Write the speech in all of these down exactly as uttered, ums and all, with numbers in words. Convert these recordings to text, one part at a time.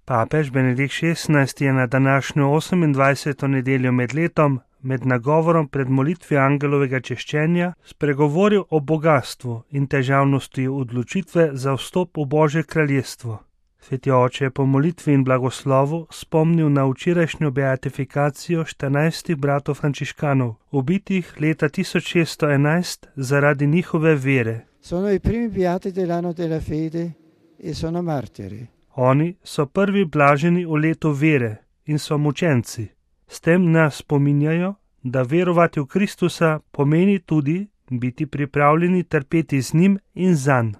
Papež Benedikt šestnajsti je na današnjo osemindvajseto nedeljo med letom, med nagovorom pred molitvijo angelovega češčenja, spregovoril o bogastvu in težavnosti odločitve za vstop v Božje kraljestvo. Sveti oče je po molitvi in blagoslovu spomnil na včerajšnjo beatifikacijo štirinajstih bratov frančiškanov, ubitih leta tisoč šeststo enajst zaradi njihove vere. Sono i primi beati dell'anno della fede e sono martiri. Oni so prvi blaženi v letu vere in so mučenci. S tem nas spominjajo, da verovati v Kristusa pomeni tudi biti pripravljeni trpeti z njim in zanj.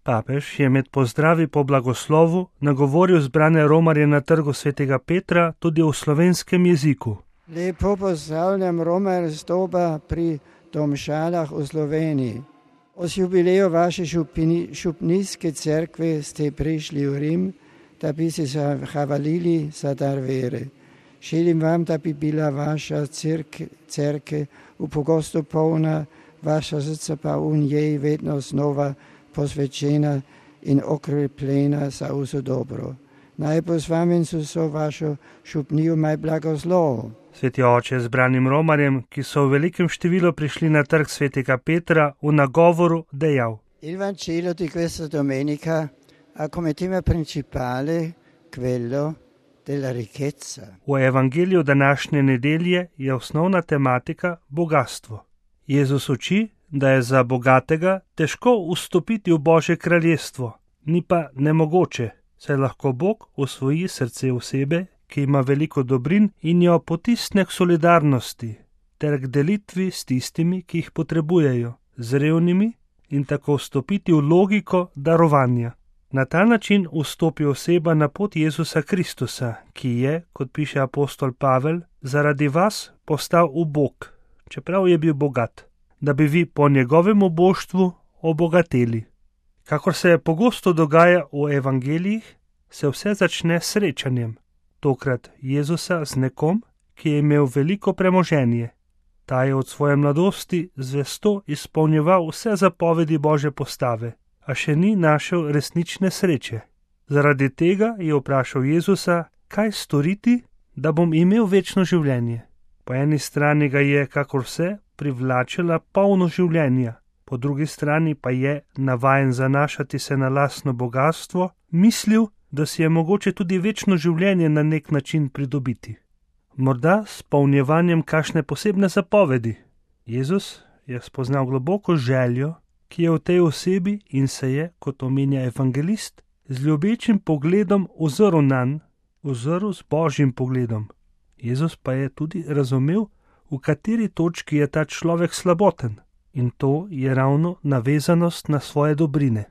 Papež je med pozdravi po blagoslovu nagovoril zbrane romarje na trgu svetega Petra tudi v slovenskem jeziku. Lepo pozdravljam Romarje z doba pri Domžalah v Sloveniji. Od jubileju vaše župnijske cerkve ste prišli v Rim, da bi se zahvalili za dar vere. Želim vam, da bi bila vaša cerkev v pogosto polna, vaša srca pa v njej vedno znova posvečena in okrepljena za vse dobro. Naj bo z vami so vašo župnijo maj blagoslov. Sveti oče zbranim romarjem, ki so v velikem številu prišli na trg svetega Petra, v nagovoru dejal: Il Vangelo di questa domenica ha come tema principale quello della ricchezza. V evangeliju današnje nedelje je osnovna tematika bogastvo. Jezus uči, da je za bogatega težko vstopiti v Božje kraljestvo, ni pa nemogoče, saj lahko Bog osvoji srce osebe, ki ima veliko dobrin in jo potisne k solidarnosti ter k delitvi s tistimi, ki jih potrebujejo, z revnimi, in tako vstopiti v logiko darovanja. Na ta način vstopi oseba na pot Jezusa Kristusa, ki je, kot piše apostol Pavel, zaradi vas postal ubog, čeprav je bil bogat, da bi vi po njegovem oboštvu obogateli. Kakor se pogosto dogaja v evangelijih, se vse začne s srečanjem, tokrat Jezusa z nekom, ki je imel veliko premoženje. Ta je od svoje mladosti zvesto izpolnjeval vse zapovedi Božje postave, a še ni našel resnične sreče. Zaradi tega je vprašal Jezusa, kaj storiti, da bom imel večno življenje. Po eni strani ga je, kakor vse, privlačila polno življenja, po drugi strani pa je, navajen zanašati se na lastno bogatstvo, mislil, da si je mogoče tudi večno življenje na nek način pridobiti. Morda s polnjevanjem kakšne posebne zapovedi. Jezus je spoznal globoko željo, ki je v tej osebi in se je, kot omenja evangelist, z ljubečim pogledom ozrl nanj, ozrl z Božjim pogledom. Jezus pa je tudi razumel, v kateri točki je ta človek slaboten, in to je ravno navezanost na svoje dobrine.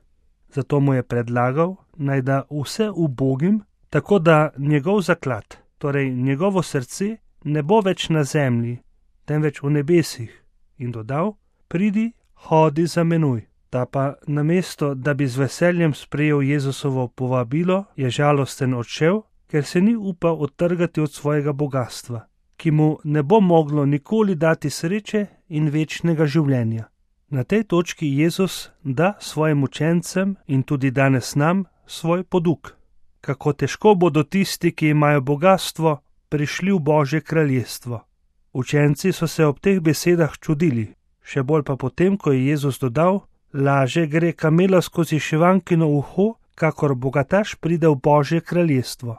Zato mu je predlagal, naj da vse ubogim, tako da njegov zaklad, torej njegovo srce, ne bo več na zemlji, temveč v nebesih, in dodal: pridi, hodi za menoj. Ta pa namesto, da bi z veseljem sprejel Jezusovo povabilo, je žalosten odšel, ker se ni upal odtrgati od svojega bogatstva, ki mu ne bo moglo nikoli dati sreče in večnega življenja. Na tej točki Jezus da svojim učencem in tudi danes nam svoj poduk. Kako težko bodo tisti, ki imajo bogatstvo, prišli v Božje kraljestvo. Učenci so se ob teh besedah čudili, še bolj pa potem, ko je Jezus dodal: laže gre kamela skozi šivankino uho, kakor bogataš pride v Božje kraljestvo.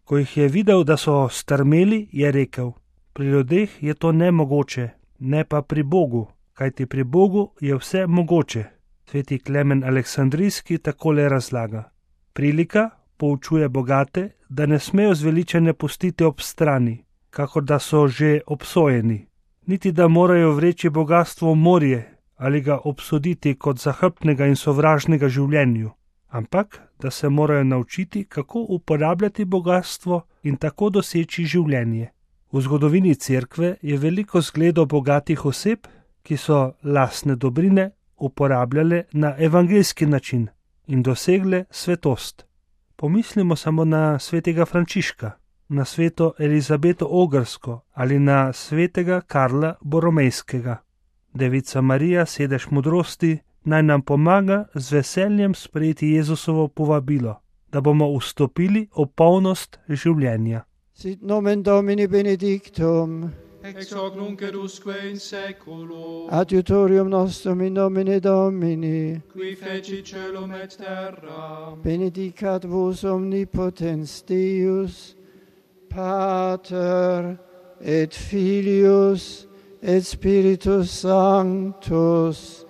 Ko jih je videl, da so strmeli, je rekel: pri ljudeh je to nemogoče, ne pa pri Bogu, kajti pri Bogu je vse mogoče. Sveti Klemen Aleksandrijski takole razlaga: prilika poučuje bogate, da ne smejo zveličanja pustiti ob strani, kakor da so že obsojeni, niti da morajo vreči bogatstvo v morje ali ga obsoditi kot zahrbtnega in sovražnega življenju, ampak da se morajo naučiti, kako uporabljati bogatstvo in tako doseči življenje. V zgodovini cerkve je veliko zgledov bogatih oseb, ki so lastne dobrine uporabljale na evangeljski način in dosegle svetost. Pomislimo samo na svetega Frančiška, na sveto Elizabeto Ogrsko ali na svetega Karla Boromejskega. Devica Marija, sedež modrosti, naj nam pomaga z veseljem sprejeti Jezusovo povabilo, da bomo vstopili v polnost življenja. Sit nomen Domini benedictum, ex hoc nunc et usque in saeculo, adiutorium nostrum in nomine Domini, qui feci celum et terra, benedicat vos omnipotens Deus, Pater et Filius et Spiritus Sanctus,